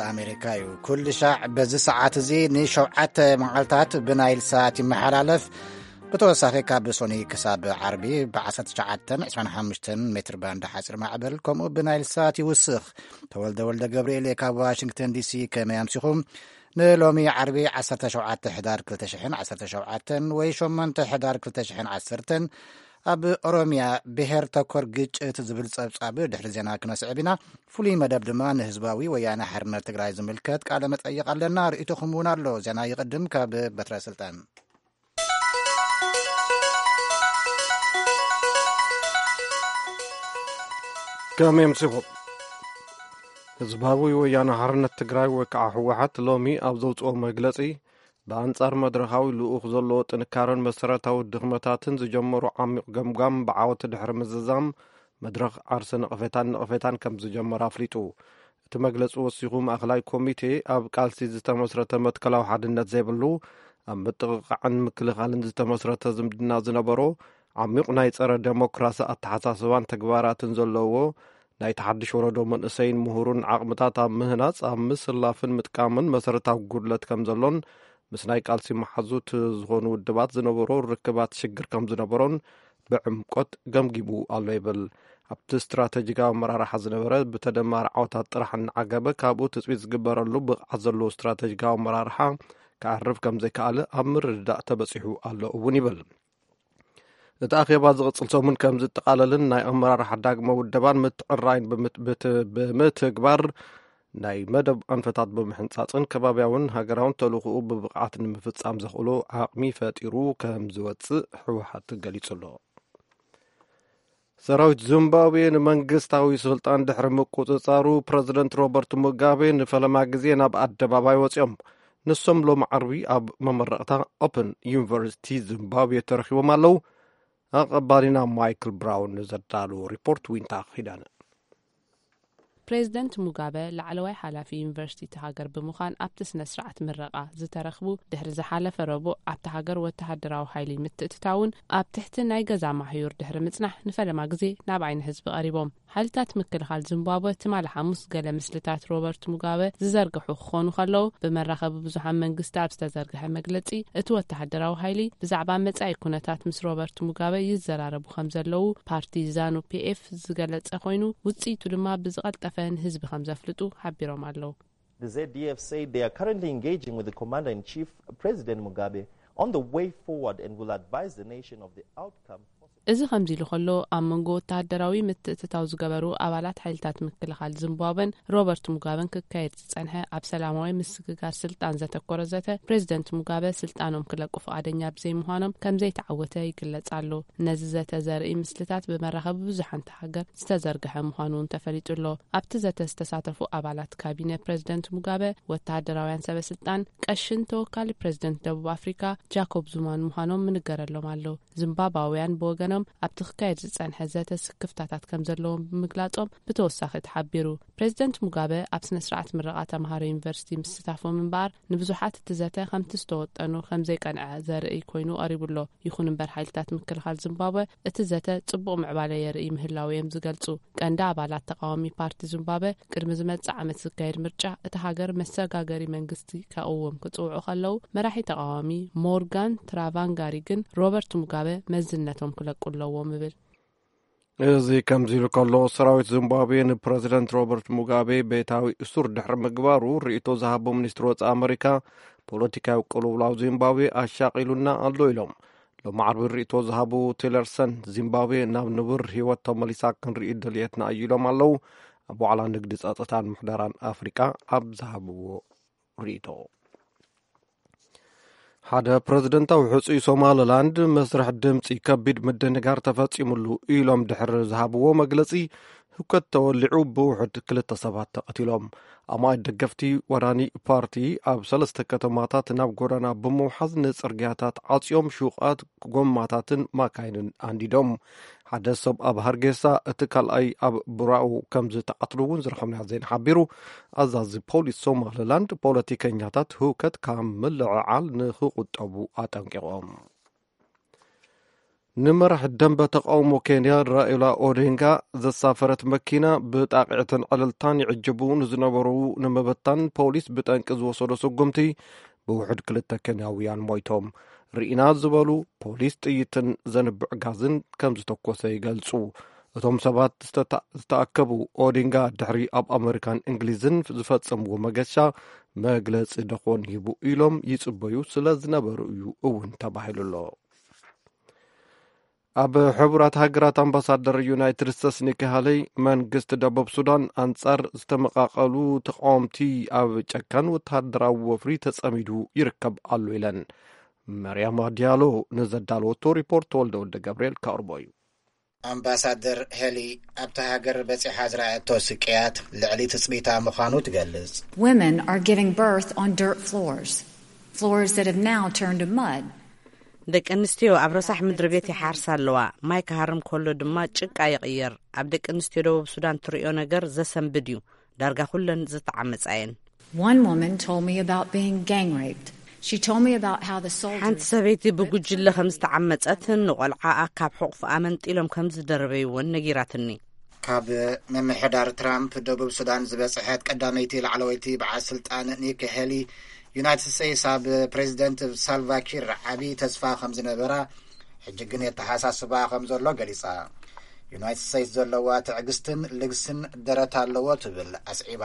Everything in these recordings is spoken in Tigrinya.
ኣሜሪካ እዩ። ኩሉ ሻዕ በዚ ሰዓት እዚ ንሸውዓተ መዓልታት ብናይል ሳት ይመሓላለፍ። ብተወሳኺ ካብ ሶኒ ክሳብ ዓርቢ ብ19 25 ሜትር ባንድ ሓፂር ማዕበል፣ ከምኡ ብናይል ሳት ይውስኽ። ተወልደ ወልደ ገብርኤል ካብ ዋሽንግተን ዲሲ። ከመይ ኣምሲኹም? ንሎሚ ዓርቢ 17 ሕዳር 2017 ወይ 8 ሕዳር 2010፣ ኣብ ኦሮምያ ብሄር ተኮር ግጭት ዝብል ጸብጻብ ድሕሪ ዜና ክነስዕብ ኢና። ፍሉይ መደብ ድማ ንህዝባዊ ወያነ ሓርነት ትግራይ ዝምልከት ቃለ መጠይቕ ኣለና። ርእይቶኹም እውን ኣሎ። ዜና ይቕድም። ካብ በትረ ስልጣን። ከመይ ኣምሲኹም? ህዝባዊ ወያነ ሓርነት ትግራይ ወይ ከዓ ህወሓት ሎሚ ኣብ ዘውፅኦ መግለፂ፣ ብኣንጻር መድረኻዊ ልኡኽ ዘለዎ ጥንካረን መሰረታዊ ድኽመታትን ዝጀመሩ ዓሚቕ ገምጋም ብዓወት ድሕሪ ምዝዛም፣ መድረኽ ዓርሰ ነቐፌታን ነቐፌታን ከም ዝጀመረ ኣፍሊጡ። እቲ መግለጺ ወሲኹ፣ ማእከላይ ኮሚቴ ኣብ ቃልሲ ዝተመስረተ መትከላዊ ሓድነት ዘይብሉ፣ ኣብ ምጥቕቓዕን ምክልኻልን ዝተመስረተ ዝምድና ዝነበሮ፣ ዓሚቕ ናይ ጸረ ደሞክራሲ ኣተሓሳስባን ተግባራትን ዘለዎ፣ ናይ ተሓድሽ ወረዶ መንእሰይን ምሁሩን ዓቕምታት ኣብ ምህናጽ፣ ኣብ ምስላፍን ምጥቃምን መሰረታዊ ጉድለት ከም ዘሎን፣ ምስ ናይ ቃልሲ መሓዙት ዝኾኑ ውድባት ዝነበሮ ርክባት ሽግር ከም ዝነበሮን ብዕምቆት ገምጊሙ ኣሎ ይብል። ኣብቲ ስትራተጂካዊ ኣመራርሓ ዝነበረ ብተደማሪ ዓወታት ጥራሕ እናዓገበ፣ ካብኡ ትጽቢት ዝግበረሉ ብቕዓት ዘለዎ ስትራተጂካዊ ኣመራርሓ ክዓርፍ ከም ዘይከኣለ ኣብ ምርድዳእ ተበጺሑ ኣሎ እውን ይብል። እቲ ኣኼባ ዝቕጽል ሰሙን ከም ዝጠቓለልን ናይ ኣመራርሓ ዳግመ ውደባን ምትዕራይን ብምት-፣ ብት-፣ ብምትግባር ናይ መደብ ኣንፈታት ብምሕንጻጽን ከባብያውን ሃገራውን ተልእኾኡ ብብቕዓት ንምፍጻም ዘኽእሎ ዓቕሚ ፈጢሩ ከም ዝወጽእ ህወሓት ገሊጹ ኣሎ። ሰራዊት ዚምባብዌ ንመንግስታዊ ስልጣን ድሕሪ ምቁጽጻሩ፣ ፕረዚደንት ሮበርት ሙጋቤ ንፈለማ ግዜ ናብ ኣደባባይ ወጺኦም። ንሶም ሎሚ ዓርቢ ኣብ መመረቕታ ኦፕን ዩኒቨርሲቲ ዚምባብዌ ተረኺቦም ኣለዉ። ኣቐባሊና ማይክል ብራውን ንዘዳለዎ ሪፖርት ዊንታ ኺዳነ። ፕሬዚደንት ሙጋበ ላዕለዋይ ሓላፊ ዩኒቨርሲቲ እቲ ሃገር ብምዃን ኣብቲ ስነ ስርዓት ምረቓ ዝተረኽቡ፣ ድሕሪ ዝሓለፈ ረቡዕ ኣብቲ ሃገር ወተሃደራዊ ሓይሊ ምትእትታውን ኣብ ትሕቲ ናይ ገዛ ማሕዩር ድሕሪ ምጽናሕ ንፈለማ ግዜ ናብ ዓይኒ ህዝቢ ቀሪቦም። ሓይልታት ምክልኻል ዚምባብወ ትማሊ ሓሙስ ገለ ምስልታት ሮበርት ሙጋበ ዝዘርግሑ ክኾኑ ከለዉ፣ ብመራኸቢ ብዙሓን መንግስቲ ኣብ ዝተዘርግሐ መግለጺ፣ እቲ ወተሃደራዊ ሓይሊ ብዛዕባ መጻኢ ኩነታት ምስ ሮበርት ሙጋበ ይዘራረቡ ከም ዘለዉ ፓርቲ ዛኑ ፒኤፍ ዝገለጸ ኮይኑ፣ ውጽኢቱ ድማ ብዝቐልጠፈ ንህዝቢ ከም ዘፍልጡ ሓቢሮም ኣለዉ። The Z D F said they are currently engaging with the commander-in-chief, President Mugabe, on the way forward and will advise the nation of the outcome. እዚ ከምዚ ኢሉ ከሎ፣ ኣብ መንጎ ወተሃደራዊ ምትእትታው ዝገበሩ ኣባላት ሓይልታት ምክልኻል ዚምባብወን ሮበርት ሙጋበን ክካየድ ዝጸንሐ ኣብ ሰላማዊ ምስግጋር ስልጣን ዘተኮረ ዘተ፣ ፕሬዚደንት ሙጋበ ስልጣኖም ክለቁ ፍቓደኛ ብዘይምዃኖም ከም ዘይተዓወተ ይግለጽ ኣሎ። ነዚ ዘተ ዘርኢ ምስልታት ብመራኸቢ ብዙሓን እታ ሃገር ዝተዘርግሐ ምዃኑ እውን ተፈሊጡ ኣሎ። ኣብቲ ዘተ ዝተሳተፉ ኣባላት ካቢነ ፕሬዚደንት ሙጋበ፣ ወተሃደራውያን ሰበ ስልጣን፣ ቀሽን ተወካሊ ፕሬዚደንት ደቡብ ኣፍሪካ ጃኮብ ዙማን ምዃኖም ምንገረሎም ኣሎ። ዚምባብዋውያን ብወገኖም ኣብቲ ክካየድ ዝጸንሐ ዘተ ስክፍታታት ከም ዘለዎም ብምግላጾም ብተወሳኺ ተሓቢሩ። ፕሬዚደንት ሙጋበ ኣብ ስነ ስርዓት ምረቓ ተምሃሮ ዩኒቨርሲቲ ምስታፎም እምበኣር ንብዙሓት እቲ ዘተ ከምቲ ዝተወጠኑ ከም ዘይቀንዐ ዘርኢ ኮይኑ ቀሪቡ ኣሎ። ይኹን እምበር ሓይልታት ምክልኻል ዚምባብወ እቲ ዘተ ጽቡቕ ምዕባለ የርኢ ምህላው እዮም ዝገልጹ። ቀንዲ ኣባላት ተቃዋሚ ፓርቲ ዚምባብወ ቅድሚ ዝመጽእ ዓመት ዝካየድ ምርጫ እታ ሃገር መሰጋገሪ መንግስቲ ከቕውም ክጽውዑ ከለዉ፣ መራሒ ተቃዋሚ ሞርጋን ትራቫንጋሪ ግን ሮበርት ሙጋበ መዝነቶም ክለቁ ኣለዎም ይብል። እዚ ከምዚ ኢሉ ከሎ፣ ሰራዊት ዚምባብዌ ንፕረዚደንት ሮበርት ሙጋቤ ቤታዊ እሱር ድሕሪ ምግባሩ ርእይቶ ዝሃቡ ሚኒስትሪ ወጻኢ ኣመሪካ፣ ፖለቲካዊ ቅልውላው ዚምባብዌ ኣሻቒሉና ኣሎ ኢሎም። ሎሚ ዓርቢ ርእይቶ ዝሃቡ ቲለርሰን፣ ዚምባብዌ ናብ ንቡር ህይወት ተመሊሳ ክንርኢ ድልየትና እዩ ኢሎም ኣለዉ። ኣብ ዋዕላ ንግዲ፣ ጸጥታን ምሕደራን ኣፍሪቃ ኣብ ዝሃብዎ ርእይቶ። ሓደ ፕረዚደንታዊ ሕጹይ ሶማሊላንድ መስርሕ ድምጺ ከቢድ ምድንጋር ተፈጺሙሉ ኢሎም ድሕሪ ዝሃብዎ መግለጺ፣ ህውከት ተወሊዑ ብውሑድ ክልተ ሰባት ተቐቲሎም። ኣማኢት ደገፍቲ ወራኒ ፓርቲ ኣብ ሰለስተ ከተማታት ናብ ጎዳና ብምውሓዝ ንጽርግያታት ዓጽዮም ሹቓት ጎማታትን ማካይንን ኣንዲዶም። ሓደ ሰብ ኣብ ሃርጌሳ፣ እቲ ካልኣይ ኣብ ቡራኡ ከም ዝተቐትሉ እውን ዝረኸብናዮ ዜና ሓቢሩ። ኣዛዚ ፖሊስ ሶማሊላንድ ፖለቲከኛታት ህውከት ካብ ምልዕዓል ንኽቑጠቡ ኣጠንቂቖም። ንመራሕ ደንበ ተቃውሞ ኬንያ ራኢላ ኦዲንጋ ዘሳፈረት መኪና ብጣቕዕትን ዕልልታን ይዕጀቡ ንዝነበሩ ንምብታን ፖሊስ ብጠንቂ ዝወሰዶ ስጉምቲ ብውሑድ ክልተ ኬንያውያን ሞይቶም። ርኢና ዝበሉ ፖሊስ ጥይትን ዘንብዕ ጋዝን ከም ዝተኮሰ ይገልጹ። እቶም ሰባት ዝተታ-፣ ዝተኣከቡ ኦዲንጋ ድሕሪ ኣብ ኣመሪካን እንግሊዝን ዝፈጸምዎ መገሻ መግለጺ ደኾን ሂቡ ኢሎም ይጽበዩ ስለ ዝነበሩ እዩ እውን ተባሂሉ ኣሎ። ኣብ ሕቡራት ሃገራት ኣምባሳደር ዩናይትድ ስቴትስ ኒኪ ሃለይ፣ መንግስቲ ደቡብ ሱዳን ኣንጻር ዝተመቓቐሉ ተቃወምቲ ኣብ ጨካን ወተሃደራዊ ወፍሪ ተጸሚዱ ይርከብ ኣሎ ኢለን። መርያማ ዲያሎ ንዘዳለወቶ ሪፖርት ተወልደ ወልደ ገብርኤል ከቕርቦ እዩ። ኣምባሳደር ሄሊ ኣብታ ሃገር በጺሓ ዝረኣየቶ ስቅያት ልዕሊ ትጽቢታ ምዃኑ ትገልጽ። Women are giving birth on dirt floors, floors that have now turned to mud. ደቂ ኣንስትዮ ኣብ ረሳሕ ምድሪ ቤት ይሓርሳ ኣለዋ። ማይ ክሃርም ከሎ ድማ ጭቃ ይቕየር። ኣብ ደቂ ኣንስትዮ ደቡብ ሱዳን ትርእዮ ነገር ዘሰንብድ እዩ። ዳርጋ ኩለን ዝተዓመጻ እየን። One woman told me about being gang raped. She told me about how the soldiers ሓንቲ ሰበይቲ ብጉጅለ ከም ዝተዓመጸትን ንቆልዓኣ ካብ ሕቑፍኣ መንጢሎም ከም ዝደረበይዎን ነጊራትኒ። ካብ ምምሕዳር ትራምፕ ደቡብ ሱዳን ዝበጽሐት ቀዳመይቲ ላዕለወይቲ በዓል ስልጣን ኒክ ሄሊ፣ ዩናይትድ ስቴትስ ኣብ ፕሬዚደንት ሳልቫኪር ዓቢ ተስፋ ከም ዝነበራ፣ ሕጂ ግን የተሓሳስባ ከም ዘሎ ገሊጻ። ዩናይትድ ስቴትስ ዘለዋ ትዕግስትን ልግስን ደረት ኣለዎ ትብል ኣስዒባ።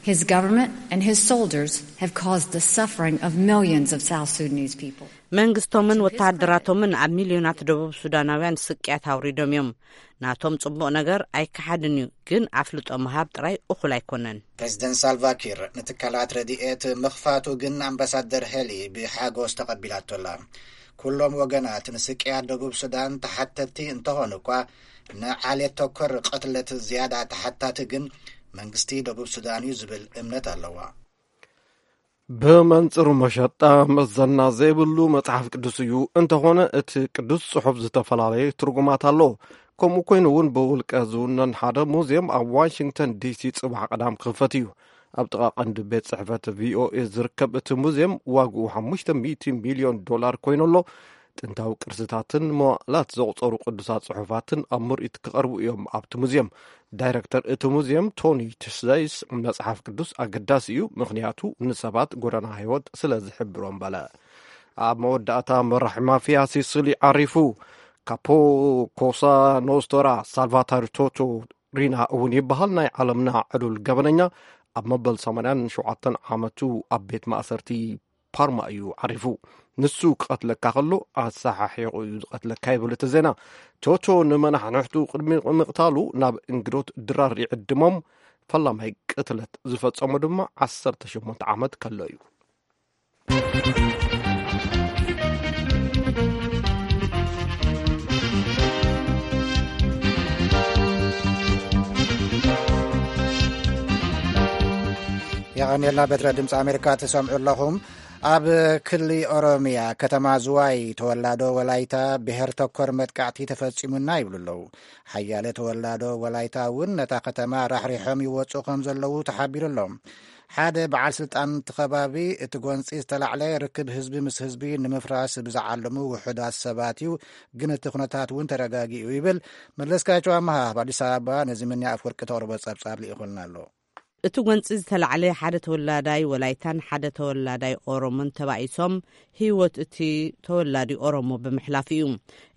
His government and his soldiers have caused the suffering of millions of South Sudanese people. መንግስቶምን ወተሃደራቶምን ኣብ ሚልዮናት ደቡብ ሱዳናውያን ስቅያት ኣውሪዶም እዮም። ናቶም ጽቡቕ ነገር ኣይከሓድን እዩ፣ ግን ኣፍልጦ ምሃብ ጥራይ እኹል ኣይኮነን። ፕሬዚደንት ሳልቫኪር ንትካላት ረድኤት ምኽፋቱ ግን ኣምባሳደር ሄሊ ብሓጎስ ተቐቢላቶ ኣላ። ኩሎም ወገናት ንስቅያት ደቡብ ሱዳን ተሓተትቲ እንተኾኑ እኳ፣ ንዓሌት ተኮር ቅትለት ዝያዳ ተሓታቲ ግን መንግስቲ ደቡብ ሱዳን እዩ ዝብል እምነት ኣለዋ። ብመንጽሩ መሸጣ መዘና ዘይብሉ መጽሓፍ ቅዱስ እዩ። እንተኾነ እቲ ቅዱስ ጽሑፍ ዝተፈላለየ ትርጉማት ኣለዎ። ከምኡ ኮይኑ እውን ብውልቀ ዝውነን ሓደ ሙዚየም ኣብ ዋሽንግተን ዲሲ ጽባሕ ቀዳም ክኽፈት እዩ። ኣብ ጥቓ ቀንዲ ቤት ጽሕፈት ቪኦኤ ዝርከብ እቲ ሙዚየም ዋግኡ ሓሙሽተ ሚእቲ ሚልዮን ዶላር ኮይኑ ኣሎ። ጥንታዊ ቅርስታትን መዋእላት ዘቑጸሩ ቅዱሳት ጽሑፋትን ኣብ ምርኢት ክቐርቡ እዮም ኣብቲ ሙዚየም። ዳይረክተር እቲ ሙዚየም ቶኒ ትስዛይስ፣ መጽሓፍ ቅዱስ ኣገዳሲ እዩ፣ ምኽንያቱ ንሰባት ጎዳና ህይወት ስለ ዝሕብሮም በለ። ኣብ መወዳእታ መራሒ ማፍያ ሲሲሊ ዓሪፉ። ካፖ ኮሳ ኖስቶራ ሳልቫታር ቶቶ ሪና እውን ይበሃል፣ ናይ ዓለምና ዕሉል ገበነኛ፣ ኣብ መበል ሰማንያን ሸውዓተን ዓመቱ ኣብ ቤት ማእሰርቲ ፓርማ እዩ ዓሪፉ። ንሱ ክቐትለካ ከሎ ኣሰሓሒቑ እዩ ዝቐትለካ ይብል እቲ ዜና። ቶቶ ንመናሕንሕቱ ቅድሚ ምቕታሉ ናብ እንግዶት ድራር ይዕድሞም። ፈላማይ ቅትለት ዝፈጸሞ ድማ ዓሰርተ ሸሞንተ ዓመት ከሎ እዩ። የቐንየልና። በትረ ድምፂ ኣሜሪካ ትሰምዑ ኣለኹም። ኣብ ክሊ ኦሮሚያ ከተማ ዝዋይ ተወላዶ ወላይታ ብሄር ተኮር መጥቃዕቲ ተፈጺሙና ይብሉ ኣለዉ። ሓያለ ተወላዶ ወላይታ እውን ነታ ከተማ ራሕሪሖም ይወፁ ከም ዘለዉ ተሓቢሩ ኣሎ። ሓደ በዓል ስልጣን እቲ ከባቢ፣ እቲ ጎንፂ ዝተላዕለ ርክብ ህዝቢ ምስ ህዝቢ ንምፍራስ ብዝዓለሙ ውሑዳት ሰባት እዩ፣ ግን እቲ ኩነታት እውን ተረጋጊኡ ይብል። መለስካቸው ኣመሃ ኣብ ኣዲስ ኣበባ ነዚ ምንያ ኣፍወርቂ ተቕርቦ ጸብጻብ ልኢኹልና ኣሎ። እቲ ጎንፂ ዝተላዕለ ሓደ ተወላዳይ ወላይታን ሓደ ተወላዳይ ኦሮሞን ተባኢሶም ህይወት እቲ ተወላዲ ኦሮሞ ብምሕላፉ እዩ።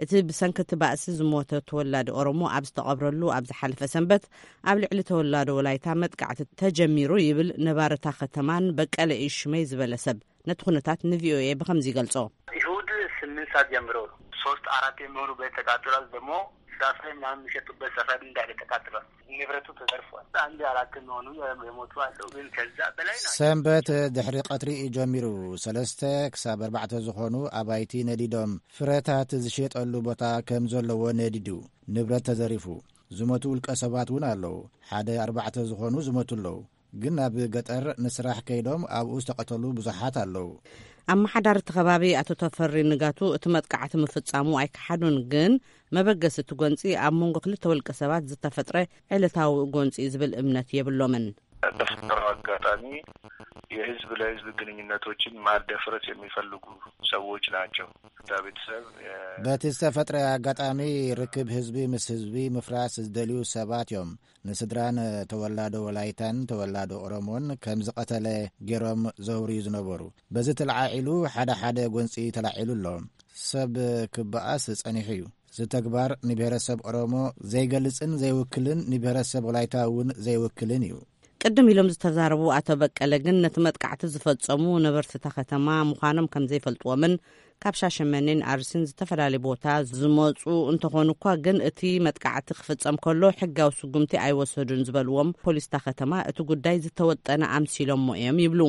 እቲ ብሰንኪ እቲ ባእሲ ዝሞተ ተወላዲ ኦሮሞ ኣብ ዝተቐብረሉ ኣብ ዝሓለፈ ሰንበት ኣብ ልዕሊ ተወላዶ ወላይታ መጥቃዕቲ ተጀሚሩ ይብል ነባሪ እታ ከተማን በቀለ እዩ ሽመይ ዝበለ ሰብ ነቲ ኩነታት ንቪኦኤ ብኸምዚ ይገልጾ። እሁድ ስምንት ሰዓት ጀምሮ ሶስት አራት የሚሆኑ ቤት ተቃጥሏል። ደግሞ ፍራፍሬ ምናምን የሚሸጡበት ሰፈር እንዳለ ተቃጥሏል። ንብረቱ ተዘርፏል። አንድ አራት የሚሆኑ የሞቱ አሉ፣ ግን ከዛ በላይ ናቸው። ሰንበት ድሕሪ ቀትሪ እዩ ጀሚሩ። ሰለስተ ክሳብ ኣርባዕተ ዝኾኑ ኣባይቲ ነዲዶም፣ ፍረታት ዝሸጠሉ ቦታ ከም ዘለዎ ነዲዱ፣ ንብረት ተዘሪፉ። ዝሞቱ ውልቀ ሰባት እውን ኣለዉ። ሓደ ኣርባዕተ ዝኾኑ ዝሞቱ ኣለዉ። ግን ኣብ ገጠር ንስራሕ ከይዶም ኣብኡ ዝተቐተሉ ብዙሓት ኣለዉ። ኣመሓዳሪ እቲ ከባቢ ኣቶ ተፈሪ ንጋቱ እቲ መጥቃዕቲ ምፍጻሙ ኣይከሓዱን፣ ግን መበገሲ እቲ ጎንጺ ኣብ መንጎ ክልተ ውልቀ ሰባት ዝተፈጥረ ዕለታዊ ጎንጺ እዩ ዝብል እምነት የብሎምን። በፈጠረው አጋጣሚ የህዝብ ለህዝብ ግንኙነቶችን ማደፍረስ የሚፈልጉ ሰዎች ናቸው። ቤተሰብ በቲ ዝተፈጥረ ኣጋጣሚ ርክብ ህዝቢ ምስ ህዝቢ ምፍራስ ዝደልዩ ሰባት እዮም ንስድራን ተወላዶ ወላይታን ተወላዶ ኦሮሞን ከም ዝቐተለ ገይሮም ዘውርዩ ዝነበሩ። በዚ ተለዓዒሉ ሓደ ሓደ ጎንፂ ተላዒሉ ኣሎ። ሰብ ክበኣስ ጸኒሑ እዩ። እዚ ተግባር ንብሔረሰብ ኦሮሞ ዘይገልጽን ዘይውክልን ንብሔረሰብ ወላይታ እውን ዘይውክልን እዩ። ቅድም ኢሎም ዝተዛረቡ ኣቶ በቀለ ግን ነቲ መጥቃዕቲ ዝፈጸሙ ነበርቲ እታ ከተማ ምዃኖም ከም ዘይፈልጥዎምን ካብ ሻሸመኔን ኣርሲን ዝተፈላለየ ቦታ ዝመጹ እንተኾኑ እኳ ግን እቲ መጥቃዕቲ ክፍጸም ከሎ ሕጋዊ ስጉምቲ ኣይወሰዱን ዝበልዎም ፖሊስ እታ ከተማ እቲ ጉዳይ ዝተወጠነ ኣምሲሎሞ እዮም ይብሉ።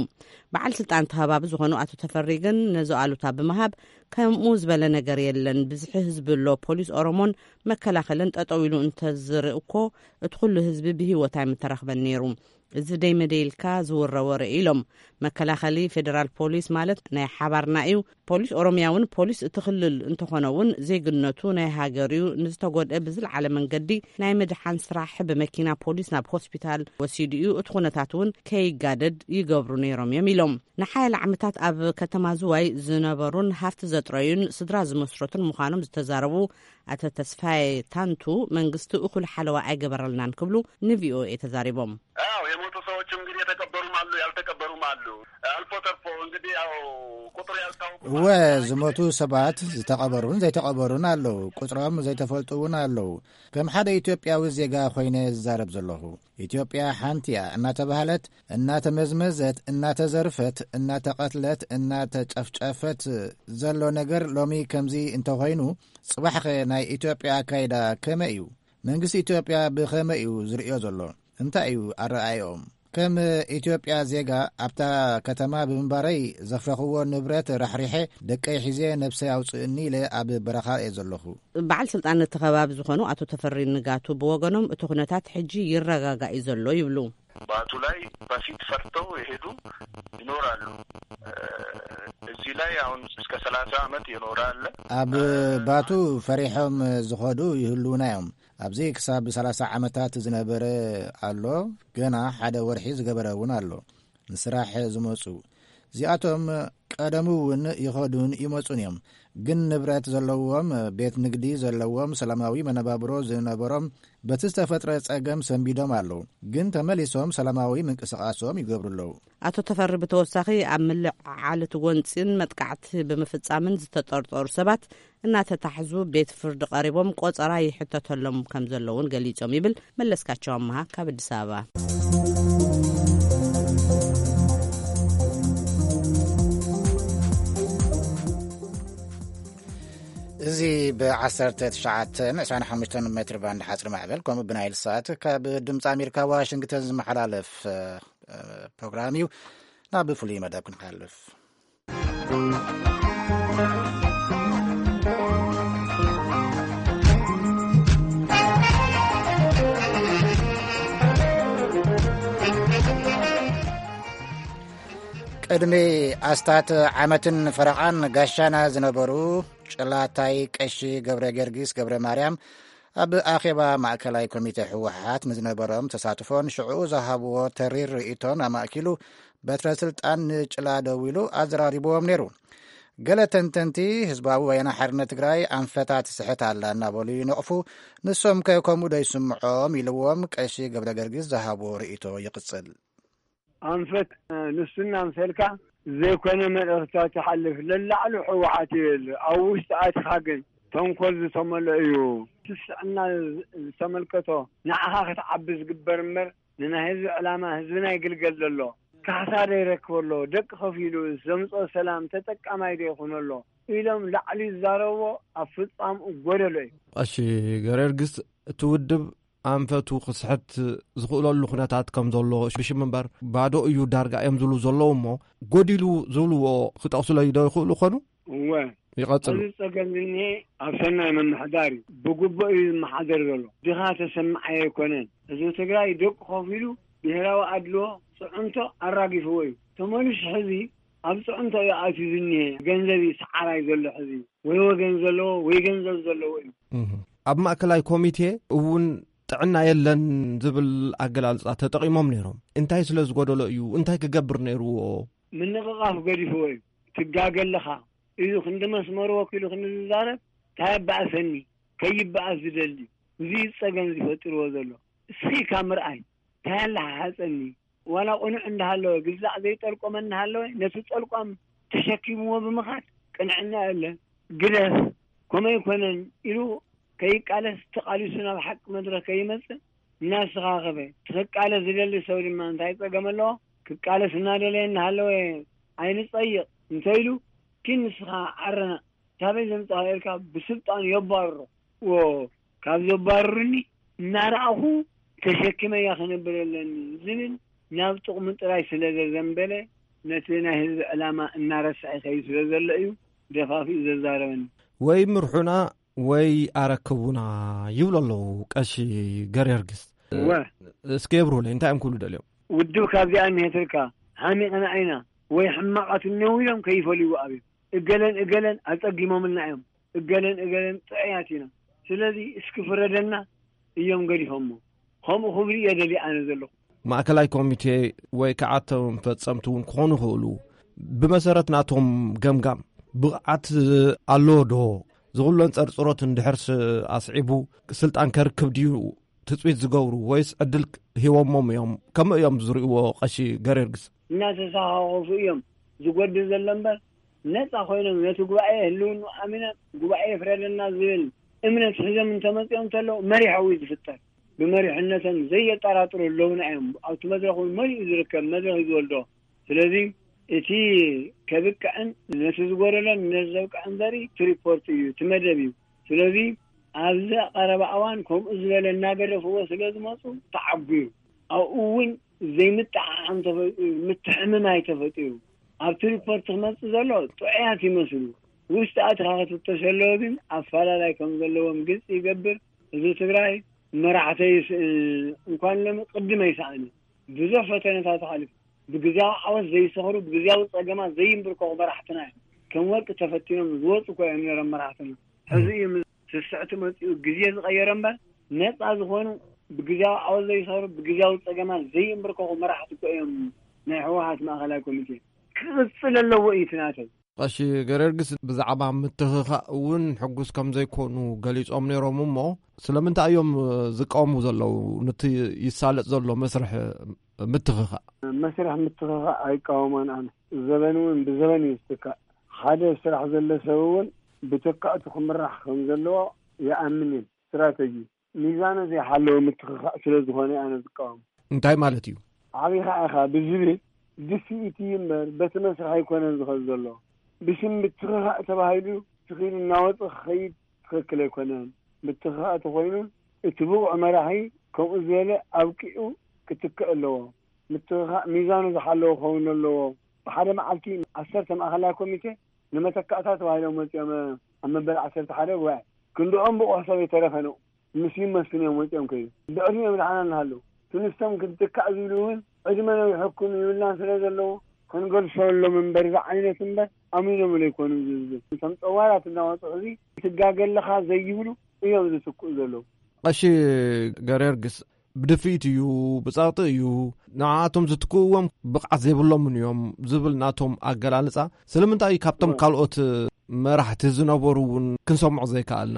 በዓል ስልጣን እቲ ከባቢ ዝኾኑ ኣቶ ተፈሪ ግን ነዚ ኣሉታ ብምሃብ ከምኡ ዝበለ ነገር የለን፣ ብዝሒ ህዝቢ ኣሎ፣ ፖሊስ ኦሮሞን መከላኸልን ጠጠው ኢሉ እንተዝርኢ እኮ እቲ ኩሉ ህዝቢ ብህይወት ኣይምተረኽበን ነይሩ። እዚ ደይ መደይ ኢልካ ዝውረ ወረ ኢሎም። መከላኸሊ ፌደራል ፖሊስ ማለት ናይ ሓባርና እዩ። ፖሊስ ኦሮሚያ እውን ፖሊስ እቲ ክልል እንተኾነ እውን ዜግነቱ ናይ ሃገር እዩ። ንዝተጎድአ ብዝለዓለ መንገዲ ናይ ምድሓን ስራሕ ብመኪና ፖሊስ ናብ ሆስፒታል ወሲዱ እዩ። እቲ ኩነታት እውን ከይጋደድ ይገብሩ ነይሮም እዮም ኢሎም። ንሓያለ ዓመታት ኣብ ከተማ ዝዋይ ዝነበሩን ሃፍቲ ዘጥረዩን ስድራ ዝመስረቱን ምዃኖም ዝተዛረቡ ኣቶ ተስፋዬ ታንቱ መንግስቲ እኹል ሓለዋ ኣይገበረልናን ክብሉ ንቪኦኤ ተዛሪቦም። አዎ፣ የሞቱ ሰዎች እንግዲህ የተቀበሩም አሉ፣ ያልተቀበሩም አሉ። አልፎ ተርፎ እንግዲህ ያው ቁጥሩ ያልታወቁ እወ፣ ዝሞቱ ሰባት ዝተቐበሩን ዘይተቐበሩን ኣለዉ። ቁጽሮም ዘይተፈልጡ እውን ኣለዉ። ከም ሓደ ኢትዮጵያዊ ዜጋ ኮይነ ዝዛረብ ዘለኹ፣ ኢትዮጵያ ሓንቲ እያ እናተባህለት፣ እናተመዝመዘት፣ እናተዘርፈት፣ እናተቐትለት፣ እናተጨፍጨፈት ዘሎ ነገር ሎሚ ከምዚ እንተኾይኑ፣ ጽባሕኸ ናይ ኢትዮጵያ ኣካይዳ ከመይ እዩ? መንግስቲ ኢትዮጵያ ብኸመይ እዩ ዝርእዮ ዘሎ? እንታይ እዩ ኣረኣእያኦም? ከም ኢትዮጵያ ዜጋ ኣብታ ከተማ ብምንባረይ ዘፍረኽዎ ንብረት ራሕሪሐ ደቀይ ሒዘ ነብሰይ ኣውፅእኒ ኢለ ኣብ በረኻ እየ ዘለኹ። በዓል ስልጣን እቲ ከባቢ ዝኾኑ ኣቶ ተፈሪ ንጋቱ ብወገኖም እቲ ኩነታት ሕጂ ይረጋጋእ እዩ ዘሎ ይብሉ። ባቱ ላይ በፊት ፈርተው የሄዱ ይኖራሉ። እ፣ እዚህ ላይ አሁን እስከ ሰላሳ ዓመት የኖረ አለ። ኣብ ባቱ ፈሪሖም ዝኸዱ ይህልዉና እዮም። ኣብዚ ክሳብ ሰላሳ ዓመታት ዝነበረ ኣሎ፣ ገና ሓደ ወርሒ ዝገበረ እውን ኣሎ። ንስራሕ ዝመጹ እዚኣቶም ቀደሙ እውን ይኸዱን ይመጹን እዮም። ግን ንብረት ዘለዎም፣ ቤት ንግዲ ዘለዎም፣ ሰላማዊ መነባብሮ ዝነበሮም በቲ ዝተፈጥረ ጸገም ሰንቢዶም ኣለዉ። ግን ተመሊሶም ሰላማዊ ምንቅስቓሶም ይገብሩ ኣለዉ። ኣቶ ተፈሪ ብተወሳኺ ኣብ ምልዕዓል እቲ ጎንጺን መጥቃዕቲ ብምፍጻምን ዝተጠርጠሩ ሰባት እናተታሕዙ ቤት ፍርዲ ቀሪቦም ቆጸራ ይሕተተሎም ከም ዘለውን ገሊጾም ይብል መለስካቸው ኣመሃ ካብ ኣዲስ ኣበባ። እዚ ብ1925 ሜትር ባንድ ሓፅሪ ማዕበል ከምኡ ብናይል ሳት ካብ ድምፂ ኣሜሪካ ዋሽንግተን ዝመሓላለፍ ፕሮግራም እዩ። ናብ ፍሉይ መደብ ክንሓልፍ። ቅድሚ ኣስታት ዓመትን ፈረቓን ጋሻና ዝነበሩ ጭላታይ ቀሺ ገብረ ጊዮርጊስ ገብረ ማርያም ኣብ ኣኼባ ማእከላይ ኮሚቴ ህወሓት ንዝነበሮም ተሳትፎን ሽዑ ዝሃብዎ ተሪር ርእይቶን ኣማእኪሉ በትረ ስልጣን ንጭላ ደዊሉ ኣዘራሪብዎም ነይሩ። ገለ ተንተንቲ ህዝባዊ ወያነ ሓርነት ትግራይ ኣንፈታት ስሕት ኣላ እናበሉ ይነቕፉ። ንሶም ከ ከምኡ ዶ ይስምዖም ኢልዎም ቀሺ ገብረ ገርጊስ ዝሃብዎ ርእይቶ ይቕጽል። ኣንፈት ንሱ እናምሰልካ ዘይኮነ መልእኽትታት ትሓልፍ። ለላዕሉ ህወሓት ይብል፣ ኣብ ውሽጢ ኣትኻ ግን ተንኮል ዝተመልኦ እዩ። ስስዕና ዝተመልከቶ ንዓኻ ክትዓቢ ዝግበር እምበር ንናይ ህዝቢ ዕላማ ህዝብና ይግልገል ዘሎ ካሕሳ ዶ ይረክብ ኣሎ፣ ደቂ ከፊሉ ዘምፅኦ ሰላም ተጠቃማይ ዶ ይኹን ኣሎ ኢሎም ላዕሊ ዝዛረብዎ ኣብ ፍፃምኡ ጎደሎ እዩ። ቀሺ ገረርግስ እቲ ውድብ ኣንፈቱ ክስሕት ዝኽእለሉ ኩነታት ከም ዘሎ ብሽም እምበር ባዶ እዩ ዳርጋ እዮም ዝብሉ ዘለዉ እሞ ጎዲሉ ዝብልዎ ክጠቕሱለይ ዶ ይኽእሉ ኾኑ? እወ። ይቐጽሉ። እዚ ጸገም ዝኒሄ ኣብ ሰናይ ምምሕዳር እዩ። ብግቡእ እዩ ዝመሓደር ዘሎ። ድኻ ተሰማዓይ ኣይኮነን። ህዝቢ ትግራይ ደቁ ከፊሉ ብሄራዊ ኣድልዎ ጽዕንቶ ኣራጊፍዎ እዩ። ተመሊሱ ሕዚ ኣብ ጽዕንቶ እዩ ኣትዩ ዝኒሄ። ገንዘብ እዩ ሰዓራይ ዘሎ ሕዚ። ወይ ወገን ዘለዎ ወይ ገንዘብ ዘለዎ እዩ። እህ። ኣብ ማእከላይ ኮሚቴ እውን ጥዕና የለን ዝብል ኣገላልጻ ተጠቒሞም ነይሮም። እንታይ ስለ ዝጎደሎ እዩ? እንታይ ክገብር ነይርዎ? ምንቕቓፍ ገዲፍዎ እዩ። ትጋገ ኣለኻ። ኢሉ ክንዲ መስመሩ ወኪሉ ክንዲ ዝዛረብ፣ እንታይ ኣባእሰኒ? ከይበኣስ ዝደሊ፣ እዚ ጸገም ዝፈጥርዎ ዘሎ። እስኺ ካብ ምርኣይ፣ እንታይ ኣለሓሓጸኒ? ዋላ ቅኑዕ እንዳሃለወ፣ ግዛዕ ዘይጠልቆመ እንዳሃለወ፣ ነቲ ጠልቋም ተሸኪምዎ ብምኻድ፣ ቅንዕና የለን፣ ግደፍ፣ ከምኡ ኣይኮነን ኢሉ ከይቃለስ፣ ተቓሊሱ ናብ ሓቂ መድረኽ ከይመጽእ እናስተኻኸበ፣ እቲ ክቃለስ ዝደሊ ሰብ ድማ እንታይ ጸገም ኣለዎ? ክቃለስ እናደለየ እናሃለወ ኣይንጸይቕ እንተኢሉ፣ ኪን ንስኻ ዓረና፣ ታበይ ዘምጻኻ ኢልካ ብስልጣን የባርሮ። ዎ፣ ካብ ዘባርሩኒ እናረኣኹ ተሸኪመያ ክነብር ኣለኒ ዝብል ናብ ጥቕሙ ጥራይ ስለ ዘዘንበለ፣ ነቲ ናይ ህዝቢ ዕላማ እናረስዐ ይኸይድ ስለ ዘሎ እዩ ደፋፊኡ ዘዛረበኒ። ወይ ምርሑና ወይ ኣረክቡና ይብሉ ኣለዉ ቀሺ ገርየርግስ። እወ። እስኪ የብርሁለይ፣ እንታይ እዮም ክብሉ ደልዮም? ውድብ ካብዚኣ እኒሄትልካ፣ ሓሚቕና ኢና ወይ ሕማቓት እነው ኢሎም ከይፈልይዎ ኣብዮም። እገለን እገለን ኣጸጊሞምልና እዮም፣ እገለን እገለን ጥዑያት ኢና። ስለዚ እስኪ ፍረደና እዮም ገዲፎሞ። ከምኡ ክብሉ እየ ደልየ ኣነ ዘለኹ። ማእከላይ ኮሚቴ ወይ ከዓ እቶም ፈጸምቲ እውን ክኾኑ ይኽእሉ። ብመሰረት ናቶም ገምጋም ብቕዓት ኣለዎ ዶ? ዝኹለን ጸርጽሮት እንድሕር ስ-፣ ኣስዒቡ ስልጣን ከርክብ ድዩ ትጽቢት ዝገብሩ ወይስ ዕድል ሂቦሞም እዮም? ከመይ እዮም ዝርእይዎ ቀሺ ገርየርግስ? እናተሰኻኸፉ እዮም ዝጎድል ዘሎ እምበር፣ ነጻ ኮይኖም ነቲ ጉባኤ ህልውንኡ ኣሚኖም ጉባኤ ይፍረደና ዝብል እምነት ሒዞም እንተመጺኦም እንተለዉ መሪሖም እዩ ዝፍጠር። ብመሪሕነቶም ዘየጠራጥሩ ኣለዉና እዮም። ኣብቲ መድረኽ እውን መሊኡ ዝርከብ መድረኽ እዩ ዝወልዶ። ስለዚ እቲ ከብቅዕን ነቲ ዝጎደሎን ነቲ ዘብቅዕን ዘርኢ እቲ ሪፖርት እዩ፣ እቲ መደብ እዩ። ስለዚ ኣብዚ ቀረባ እዋን ከምኡ ዝበለ እናገደፍዎ ስለ ዝመፁ ተዓጉ እዩ። ኣብኡ እውን ዘይምጥዕዓም ተፈጢሩ፣ ምትሕምማይ ተፈጢሩ። ኣብቲ ሪፖርት ክመፅእ ዘሎ ጥዑያት ይመስሉ። ውሽጢ ኣትኻ ክትፍተሽ ኣለዎ ግን ኣፈላላይ ከም ዘለዎም ግልፂ ይገብር። ህዝቢ ትግራይ መራሕተይ ይስእን እንኳን ሎሚ ቅድም ኣይሰኣነ። ብዙሕ ፈተነታት ኣሕሊፉ። ብግዜያዊ ዓወት ዘይሰኽሩ፣ ብግዜያዊ ጸገማት ዘይንብርከኹ መራሕትና እዮም። ከም ወርቂ ተፈቲኖም ዝወጹ እኮ እዮም ነይሮም መራሕትና። ሕዚ እዩ ምስ ስስዕቲ መጺኡ ግዜ ዝቐየረ እምበር፣ ነጻ ዝኾኑ፣ ብግዜያዊ ዓወት ዘይሰኽሩ፣ ብግዜያዊ ጸገማት ዘይንብርከኹ መራሕቲ እኮ እዮም ናይ ህወሓት ማእኸላይ ኮሚቴ። ክቕጽል ኣለዎ እዩ እቲ ናተይ። ቀሺ ገርጊስ ብዛዕባ ምትኽኻእ እውን ሕጉስ ከም ዘይኮኑ ገሊጾም ነይሮም እሞ፣ ስለምንታይ እዮም ዝቃወሙ ዘለዉ? ነቲ ይሳለጥ ዘሎ መስርሕ ምትኽኻእ? መስርሕ ምትኽኻእ ኣይቃወሞን ኣነ። ዘበን እውን ብዘበን እዩ ዝትካእ። ሓደ ስራሕ ዘሎ ሰብ እውን ብተካእቱ ክምራሕ ከም ዘለዎ ይኣምን እየ። ስትራተጂ ሚዛኑ ዘይሓለወ ምትኽኻእ ስለ ዝኾነ ኣነ ዝቃወም። እንታይ ማለት እዩ? ዓቢኻ ኢኻ ብዝብል ድፍኢት እዩ እምበር በቲ መስርሕ ኣይኮነን ዝኸድ ዘሎ። ብሽም ምትኽኻእ ተባሂሉ ስኺሉ እናወፀ ክኸይድ ትኽክል ኣይኮነን። ምትኽኻእ ተኾይኑ እቲ ብቑዕ መራሒ ከምኡ ዝበለ ኣብቂዑ ክትክእ ኣለዎ። ምትኽኻእ ሚዛኑ ዝሓለወ ክኸውን ኣለዎ። ብሓደ መዓልቲ ዓሰርተ ማእኸላይ ኮሚቴ ንመተካእታ ተባሂሎም መፂኦም ኣብ መበል ዓሰርተ ሓደ ጉባኤ ክንድኦም ብቑሕ ሰብ ኣይተረፈን። ምስ ይመስሉ እዮም ወፂኦም ከይዱ። ብዕድሚኦም ደሓና እናሃለዉ እቲ ንሶም ክትካእ ዝብሉ እውን ዕድመ ነዊሕኩም ይብልና ስለ ዘለዉ ክንገልሰሎም እምበር ዝዓይነት እምበር ኣሚኖምሉ ኣይኮኑን ዝዝብል። እቶም ፀዋራት እናወፅኡ እዚ ትጋገ ኣለኻ ዘይብሉ እዮም ዝትክኡ ዘለዉ። ቀሺ ገርጊስ ብድፍኢት እዩ፣ ብፀቕጢ እዩ። ንዓኣቶም ዝትክእዎም ብቕዓት ዘይብሎምን እዮም ዝብል ናቶም ኣገላልፃ ስለምንታይ እዩ ካብቶም ካልኦት መራሕቲ ዝነበሩ እውን ክንሰምዖ ዘይከኣልና?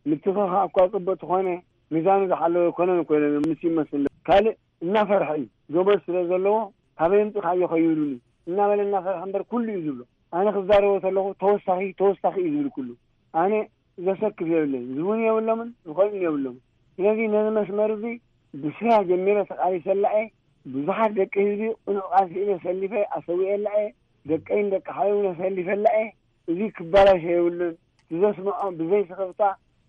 ምትኽኻእ እኳ ፅቡቅ ተኾነ ሚዛኑ ዝሓለወ ኣይኮነን እኮ ኢሎም ምስ ይመስል ካልእ እናፈርሐ እዩ። ገመድ ስለ ዘለዎ ካበይ ኣምፂኻዮ ከይብሉኒ እናበለ እናፈርሐ እምበር ኩሉ እዩ ዝብሎ። ኣነ ክዛረቦ ከለኹ ተወሳኺ ተወሳኺ እዩ ዝብል ኩሉ። ኣነ ዘሰክፍ የብለይን። ዝብሉን የብሎምን፣ ዝኸልኡን የብሎምን። ስለዚ ነዚ መስመር እዚ ብስራ ጀሚረ ተቓሊሰላ እየ። ብዙሓት ደቂ ህዝቢ ቅኑዕ ቃልሲ ኢለ ሰሊፈ ኣሰዊኤላ እየ። ደቀይን ደቂ ሓወይን ኣሰሊፈላ እየ። እዚ ክባላሾ የብሉን። ብዘስምዖ ብዘይ ስኽፍታ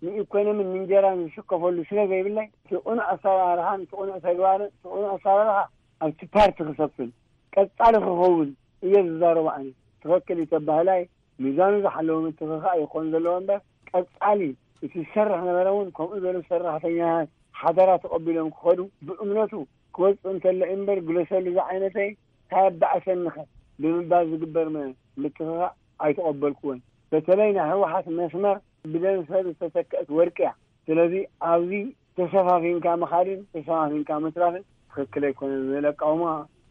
ንኢኮኖምን ንእንጀራን ዝስከፈሉ ስለ ዘይብለይ እቲ ቅኑዕ ኣሰራርሓን እቲ ቅኑዕ ተግባርን እቲ ቅኑዕ ኣሰራርሓ ኣብቲ ፓርቲ ክሰፍን ቀጻሊ ክኸውን እየ ዝዛረቦ። ኣነ ትኽክል እዩ ተባህላይ ሚዛኑ ዝሓለወ ምትኽኻእ ይኾን ዘለዎ እምበር ቀጻሊ እቲ ዝሰርሕ ነበረ እውን ከምኡ ዝበሉ ሰራሕተኛታት ሓደራ ተቐቢሎም ክኸዱ ብእምነቱ ክወፅእ እንተሎ እዩ እምበር ግለሰሉ ዝዓይነተይ እንታይ ኣባእሰኒኸ ብምባል ዝግበር መ-፣ ምትኽኻእ ኣይተቐበልኩዎን። በተለይ ናይ ህወሓት መስመር ብደም ሰብ ዝተተክአት ወርቂ እያ። ስለዚ ኣብዚ ተሸፋፊንካ ምኻድን ተሸፋፊንካ ምትራፍን ትኽክል ኣይኮነን ዝብል ኣቃውማ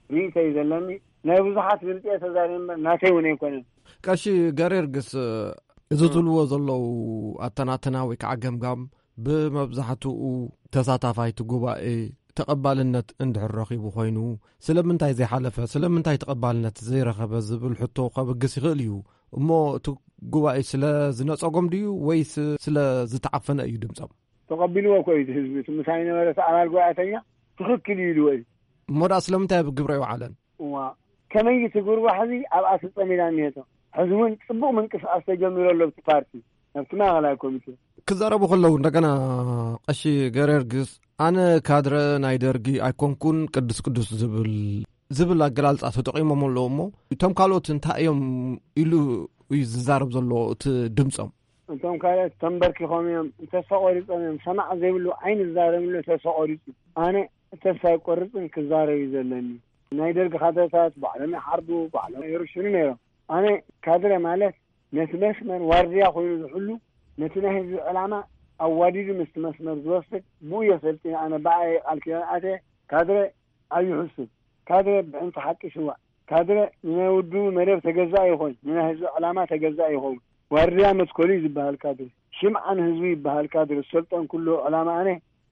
ርኢቶ እዩ ዘለኒ። ናይ ብዙሓት ድምፂ እየ ተዛሪበ እምበር ናተይ እውን ኣይኮነን። ቀሺ ገሬርግስ፣ እዚ ዝብልዎ ዘለዉ ኣተናትና ወይ ከዓ ገምጋም ብመብዛሕትኡ ተሳታፋይቲ ጉባኤ ተቐባልነት እንድሕር ረኺቡ ኮይኑ፣ ስለምንታይ ዘይሓለፈ፣ ስለምንታይ ተቐባልነት ዘይረኸበ ዝብል ሕቶ ከብግስ ይኽእል እዩ። እሞ እቲ ጉባኤ ስለ ዝነጸጎም ድዩ ወይስ ስለ ዝተዓፈነ እዩ ድምጾም? ተቐቢልዎ እኮ እዩ እቲ ህዝቢ። እቲ ምሳይ ነበረ እቲ ኣባል ጉባኤተኛ ትኽክል እዩ ኢልዎ እዩ። እሞ ደኣ ስለምንታይ ኣብ ግብረ ኣይወዓለን? እዋ፣ ከመይ ትግርባሕ እዚ ኣብኣ ተጸሚዳ እኒሄቶ። ሕዚ እውን ጽቡቕ ምንቅስቓስ ተጀሚሩ ኣሎ ኣብቲ ፓርቲ፣ ኣብቲ ማእኸላይ ኮሚቴ። ክዛረቡ ከለዉ እንደገና ቀሺ ገሬርግስ፣ ኣነ ካድረ ናይ ደርጊ ኣይኮንኩን፣ ቅዱስ ቅዱስ ዝብል፣ ዝብል ኣገላልጻ ተጠቒሞም ኣለዉ። እሞ እቶም ካልኦት እንታይ እዮም ኢሉ እዩ ዝዛረብ ዘሎ እቲ ድምጾም? እቶም ካልኦት ተንበርኪኾም እዮም፣ ተስፋ ቆሪጾም እዮም። ሰማዕ ዘይብሉ ኣይንዛረብሉ፣ ተስፋ ቆሪጹ። ኣነ ተስፋ ኣይቆርጽን፣ ክዛረብ እዩ ዘለኒ። ናይ ደርጊ ካድረታት ባዕሎም ይሓርዱ፣ ባዕሎም ይርሽኑ ነይሮም። ኣነ ካድረ ማለት ነቲ መስመር ዋርድያ ኮይኑ ዝሕሉ፣ ነቲ ናይ ህዝቢ ዕላማ ኣዋዲዱ ምስቲ መስመር ዝወስድ፣ ብኡ እየ ሰልጢነ። ኣነ ብኣየ ቃል ኪዳን ኣትየ ካድረ ኣይሕሱን። ካድረ ብዕንቲ ሓቂ ስዋእ። ካድረ ንናይ ውድቡ መደብ ተገዛእ ይኾን፣ ንናይ ህዝቢ ዕላማ ተገዛእ ይኸውን። ዋርድያ መትከሉ እዩ ዝበሃል ካድረ። ሽምዓ ንህዝቡ ይበሃል ካድረ። ዝሰልጠንኩሉ ዕላማ ኣነ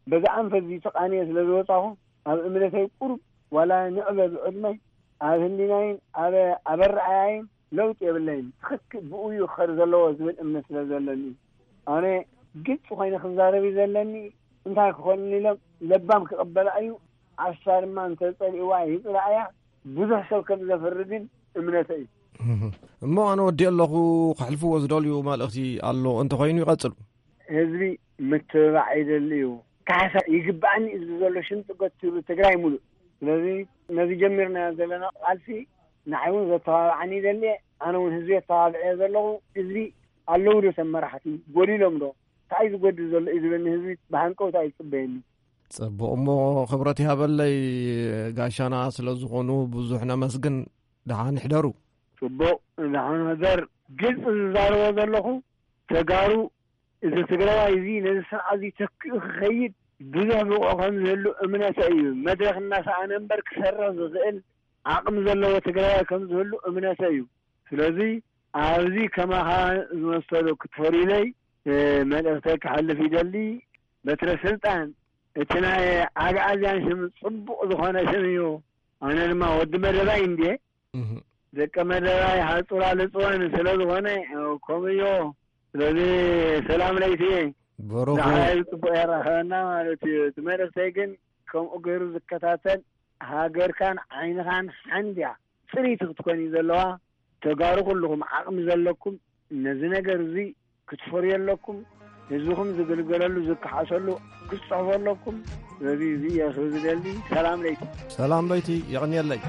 በዚ ኣንፈት እዚ ተቓንየ ስለ ዝወጻኹ፣ ኣብ እምነተይ ቁሩብ ዋላ ንዕበ ብዕድመይ፣ ኣብ ህሊናይን ኣብ ኣበረኣያይን ለውጢ የብለይን። ትኽክል ብኡ እዩ ክኸድ ዘለዎ ዝብል እምነት ስለ ዘለኒ፣ ኣነ ግልፂ ኮይነ ክዛረብ እዩ ዘለኒ። እንታይ ክኾን ኢሎም ለባም ክቕበላ እዩ። ዓሻ ድማ እንተፀሊእዋ ይፅላእያ። ብዙሕ ሰብ ከም ዘፍሪ ግን እምነተይ እዩ። እሞ ኣነ ወዲእ ኣለኹ። ከሕልፍዎ ዝደልዩ መልእኽቲ ኣሎ እንተኾይኑ ይቐጽሉ። ህዝቢ ምትብባዕ ይደሊ እዩ። ካሕሳ ይግባኣኒ እዩ ዘሎ ሽም ፅጎት ትብል ትግራይ ሙሉእ። ስለዚ ነዚ ጀሚርናዮ ዘለና ቃልሲ ንዓይ እውን ዘተባብዓኒ ይደሊ እየ። ኣነ እውን ህዝቢ የተባብዐ ዘለኹ። ህዝቢ ኣለዉ ዶ ተመራሕቲ? ጎዲሎም ዶ? እንታይ ዝጎድል ዘሎ እዩ ዝብለኒ ህዝቢ ብሃንቀውታ እዩ ዝፅበየኒ። ጽቡቕ እሞ ክብረት ይሃበለይ ጋሻና ስለ ዝኾኑ ብዙሕ ነመስግን። ደሓን ይሕደሩ። ጽቡቕ ደሓን ሕደር። ግልጺ ዝዛረቦ ዘለኹ ተጋሩ፣ እዚ ትግራዋይ እዚ ነዚ ስርዓት እዚ ተኪኡ ክኸይድ ብዙሕ ብቑዕ ከም ዝህሉ እምነተ እዩ። መድረኽ እናሰኣነ እምበር ክሰርሕ ዝኽእል ዓቕሚ ዘለዎ ትግራዋይ ከም ዝህሉ እምነተ እዩ። ስለዚ ኣብዚ ከማኻ ዝመሰሉ ክትፈርዩለይ፣ እ፣ መልእኽተይ ክሓልፍ ይደሊ። በትረ ስልጣን እቲ ናይ ኣግኣዝያን ሽም ጽቡቕ ዝኾነ ሽም እዩ። ኣነ ድማ ወዲ መደባይ እንድየ። እህ። ደቂ መደባይ ሓጹራ ልጽወን ስለ ዝኾነ፣ እ፣ ከምኡ እዮ። ስለዚ ሰላም ለይቲ። ብሩኽ። ንዓይ ጽቡቕ የራኸበና ማለት እዩ። እቲ መልእኽተይ ግን ከምኡ ገይሩ ዝከታተል ሃገርካን ዓይንኻን ሓንድያ ጽሪት ክትኮን እዩ ዘለዋ። ተጋሩ ኩልኹም ዓቕሚ ዘለኩም ነዚ ነገር እዚ ክትፈርዩ ኣለኩም። ህዝብኹም ዝግልገለሉ ዝከሓሰሉ ክትጽሕፉ ኣለኩም። ስለዚ እዚ እየ ክብል ዝደሊ። ሰላም ለይቲ። ሰላም ለይቲ። የቕንየለይ።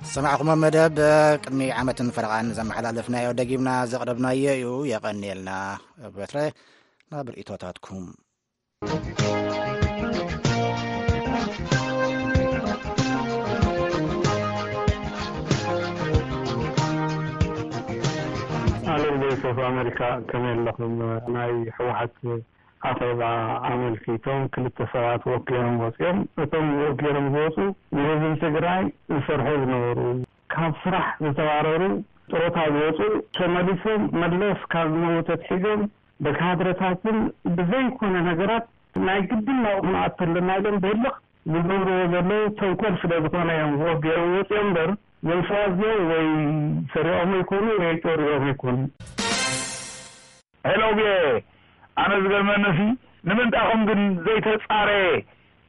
ዝሰማዕኹሞ መደብ ቅድሚ ዓመትን ፈረቓን ዘመሓላለፍናዮ ደጊምና ዘቕረብናዮ እዩ። የቐንየልና በትረ ናብ ርእይቶታትኩም። ኣለን ቮይስ ኦፍ ኣሜሪካ፣ ከመይ ኣለኹም? ናይ ህወሓት ኣኼባ ኣመልኪቶም ክልተ ሰባት ወፍ ገይሮም ወፂኦም። እቶም ወፍ ገይሮም ዝወፁ ንህዝቢ ትግራይ ዝሰርሑ ዝነበሩ፣ ካብ ስራሕ ዝተባረሩ ጥሮታ ዝወፁ ተመሊሶም መለስ ካብ ዝመውት ኣትሒዞም ብካድረታትን ብዘይኮነ ነገራት ናይ ግድን ናብኡ ክንኣቱ ኣለና ኢሎም ብህልኽ ዝገብርዎ ዘለዉ ተንኮል ስለ ዝኾነ እዮም ወፍ ገይሮም ወፂኦም እምበር፣ እዞም ሰባት እዚኦም ወይ ሰሪቖም ኣይኮኑ ወይ ጨሪሮም ኣይኮኑ። ሄሎ ቪኦኤ፣ ኣነ ዝገርመኒ ሲ ንምንታይ ኢኹም ግን ዘይተጻረየ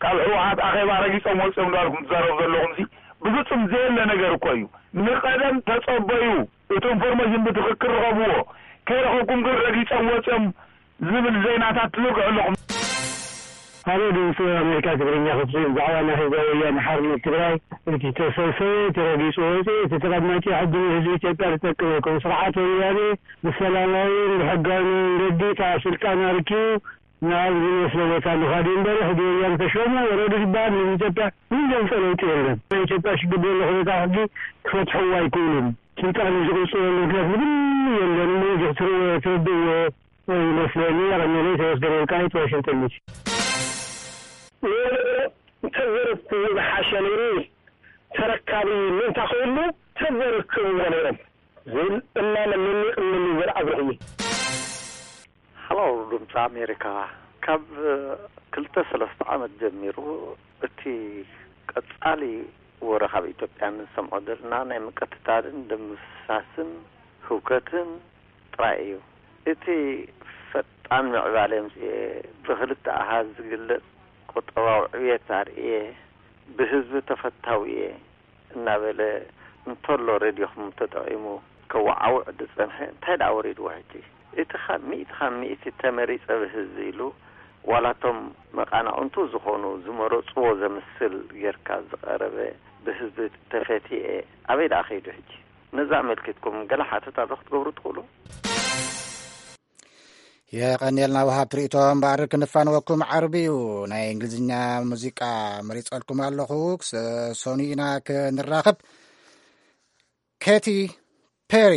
ካብ ህወሓት ኣኼባ ረጊጾም ወጺኦም እንዳበልኩም ትዛረቡ ዘለኹም ሲ ብግጹም ዘየለ ነገር እኮ እዩ። ንቐደም ተጸበዩ፣ እቲ ኢንፎርሜሽን ብትኽክል ርኸብዎ። ከይረኸብኩም ግን ረጊጾም ወጺኦም ዝብል ዜናታት ትዝርግሑ ኣለኹም። ሃሎ ድምፂ ኣሜሪካ ትግርኛ ክፍሊ፣ ብዛዕባ ናይ ህዝባዊ ወያነ ሓርነት ትግራይ እቲ ተሰብሰበ፣ እቲ ረጊፁ ወፂኡ፣ እቲ ተቐማጭ ሕጊ ንህዝቢ ኢትዮጵያ ዝጠቅም ኣይኮነ። ስርዓት ወያነ ብሰላማዊ ብሕጋዊ መንገዲ ካብ ስልጣን ኣርኪቡ ናብ ዝመስሎ ቦታ ምኻድ እዩ እምበር፣ ሕጊ ወያነ ተሾሙ ወረዱ ዝበሃል ንህዝቢ ኢትዮጵያ ምንም ዘምፀ ለውጢ የለን። ናይ ኢትዮጵያ ሽግር ዘሎ ኩነታት ሕጊ ክፈትሕዎ ኣይክእሉን። ስልጣን ዝቕፅለሉ ምክንያት ምንም የለን። እሞ እዚ ክትርዎ ትርድእዎ ይመስለኒ። ኣቐመለይ ተወስደ ወልቃይት ዋሽንግተን ዲሲ። እንተዘረብክዎ ዝሓሸ ነይሩ። ተረካቢ ምእንታ ክህሉ ተዘረክብዎ ነይሮም ዝብል እማመ ነኒቕኒ ዘርኣ ብሩኽ እዩ። ሃሎ ድምፂ ኣሜሪካ፣ ካብ ክልተ ሰለስተ ዓመት ጀሚሩ እቲ ቀፃሊ ወረ ካብ ኢትዮጵያ ንሰምዖ ዘለና ናይ ምቅትታልን ደምሳስን ህውከትን ጥራይ እዩ። እቲ ፈጣን ምዕባለ የምፅኤ፣ ብክልተ ኣሃዝ ዝግለፅ ቁጠባዊ ዕብየት ኣርእየ፣ ብህዝቢ ተፈታዊ እየ እናበለ እንተሎ ሬድዮኹም ተጠቒሙ ከወዓውዕ ዝፀንሐ እንታይ ደኣ ወሪድዎ ሕጂ? እቲ ካብ ሚእቲ ካብ ሚእቲ ተመሪፀ ብህዝቢ ኢሉ ዋላ እቶም መቓናቕንቱ ዝኾኑ ዝመረፅዎ ዘምስል ጌርካ ዝቐረበ ብህዝቢ ተፈትየ ኣበይ ደኣ ከይዱ ሕጂ? ነዚ ኣመልኪትኩም ገለ ሓተታ ዶ ክትገብሩ ትኽእሉ? የቐንየልና ውሃብ ትርኢቶ እምበኣር ክንፋንወኩም ዓርቢ እዩ ናይ እንግሊዝኛ ሙዚቃ መሪፀልኩም ኣለኹ። ክሰ- ሰኑይ ኢና ክንራኸብ። ኬቲ ፔሪ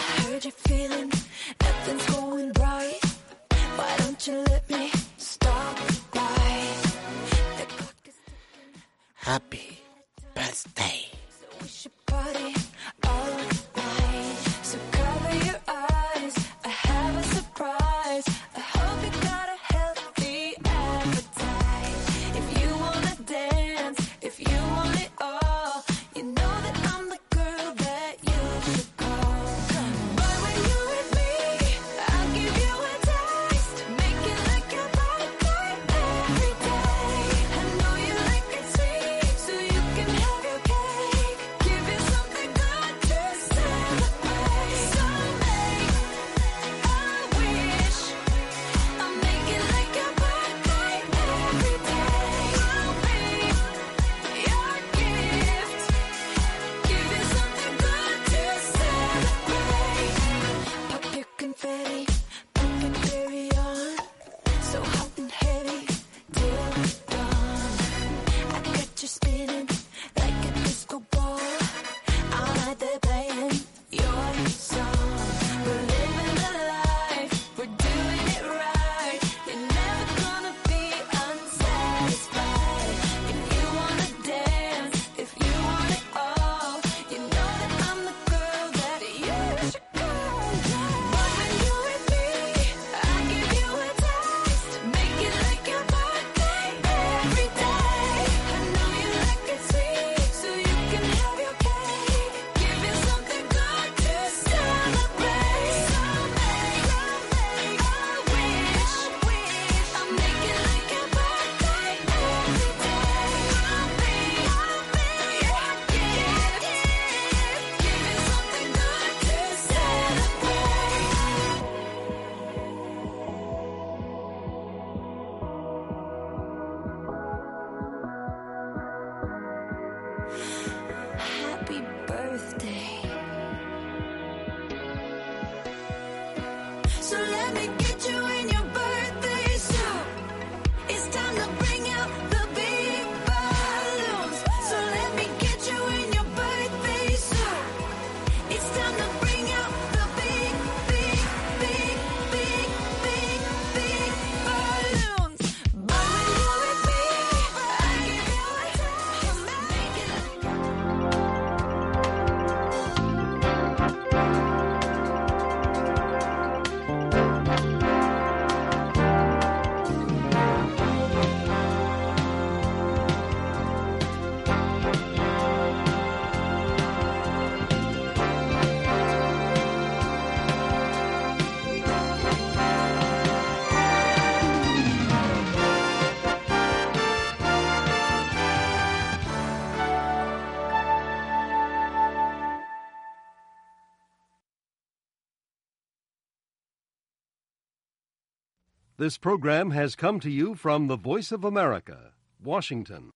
I heard you're feeling nothing's going right. Why don't you let me stop by? The clock is ticking. Happy birthday. So we should party all night. So cover your eyes. I have a surprise. I hope you got a healthy appetite. If you wanna dance, if you want it all, you know that I'm the girl that you should call. Boy, when you with me, I'll give you a taste. Make it like your birthday every day. I know you like it sweet, so you can have your cake. Give you something good to celebrate. So make a wish. I'll make it like your birthday every day. I'll be your gift. Give you something good to celebrate. Pop your confetti, put your cherry on. So hot and heavy till dawn. I got you spinning like a disco ball. I'm right there playing your song. We're living the life, we're doing it right. You're never gonna be unsatisfied. If you wanna dance, if you want it all, you know that I'm the girl that you should call. Boy, when you with me, I give you a taste. Make it like your birthday every day. I know you like it sweet, so you can have your cake. Give you something good to celebrate. So make, so make a wish. I'll make it like your birthday every day. I'll be, I'll be your gift. Give you something good to celebrate. Happy birthday. So let me get you in your birthday suit. It's time to bring out the big balloons. So let me get you in your birthday suit. It's time to bring out the big, big, big, big, big, big balloons. But when you with me, I give you a taste. Make it like This program has come to you from the Voice of America, Washington.